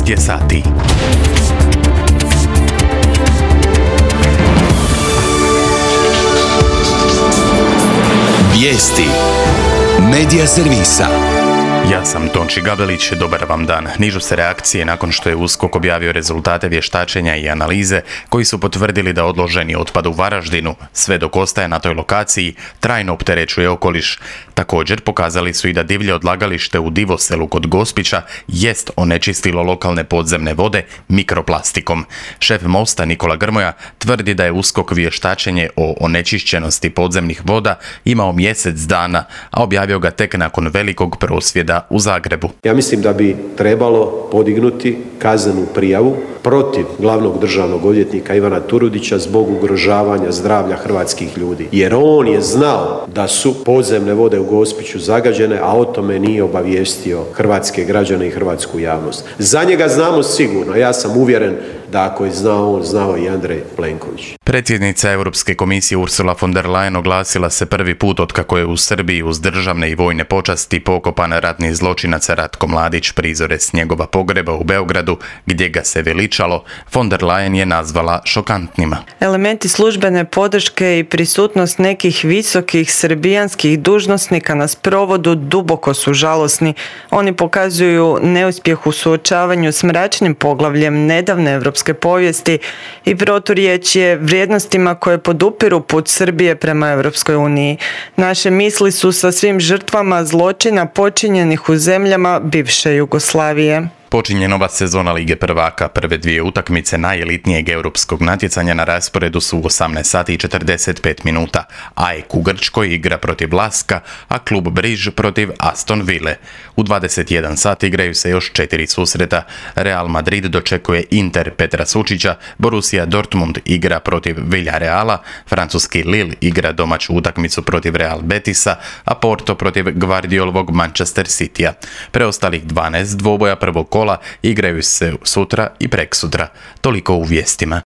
je sati. Vijesti Medija servisa. Ja sam Tonči Gabelić, dobar vam dan. Nižu se reakcije nakon što je USKOK objavio rezultate vještačenja i analize koji su potvrdili da odloženi otpad u Varaždinu, sve dok ostaje na toj lokaciji, trajno opterećuje okoliš. Također pokazali su i da divlje odlagalište u Divoselu kod Gospića jest onečistilo lokalne podzemne vode mikroplastikom. Šef Mosta Nikola Grmoja tvrdi da je USKOK vještačenje o onečišćenosti podzemnih voda imao mjesec dana, a objavio ga tek nakon velikog prosvjeda u Zagrebu. Ja mislim da bi trebalo podignuti kaznenu prijavu protiv glavnog državnog odvjetnika Ivana Turudića zbog ugrožavanja zdravlja hrvatskih ljudi. Jer on je znao da su podzemne vode u Gospiću zagađene, a o tome nije obavijestio hrvatske građane i hrvatsku javnost. Za njega znamo sigurno, ja sam uvjeren da ako je znao on, znao i Andrej Plenković. Predsjednica Europske komisije Ursula von der Leyen oglasila se prvi put otkako je u Srbiji uz državne i vojne počasti pokopan ratni zločinac Ratko Mladić, prizore s njegova pogreba u Beogradu, gdje ga se veličalo. Von der Leyen je nazvala šokantnima. Elementi službene podrške i prisutnost nekih visokih srbijanskih dužnosnika na sprovodu duboko su žalosni. Oni pokazuju neuspjeh u suočavanju s mračnim poglavljem nedavne europske povijesti i proturječje vrijednostima koje podupiru put Srbije prema Europskoj uniji. Naše misli su sa svim žrtvama zločina počinjenih u zemljama bivše Jugoslavije. Počinje nova sezona Lige prvaka. Prve dvije utakmice najelitnijeg europskog natjecanja na rasporedu su u 18 sati i 45 minuta. AEK u Grčkoj igra protiv Laska, a klub Briž protiv Aston Ville. U 21 sati igraju se još 4 susreta. Real Madrid dočekuje Inter Petra Sučića, Borussia Dortmund igra protiv Villareala, francuski Lille igra domaću utakmicu protiv Real Betisa, a Porto protiv Guardiolovog Manchester Citya. Preostalih 12 dvoboja prvog kola igraju se sutra i preksutra. Toliko u vijestima.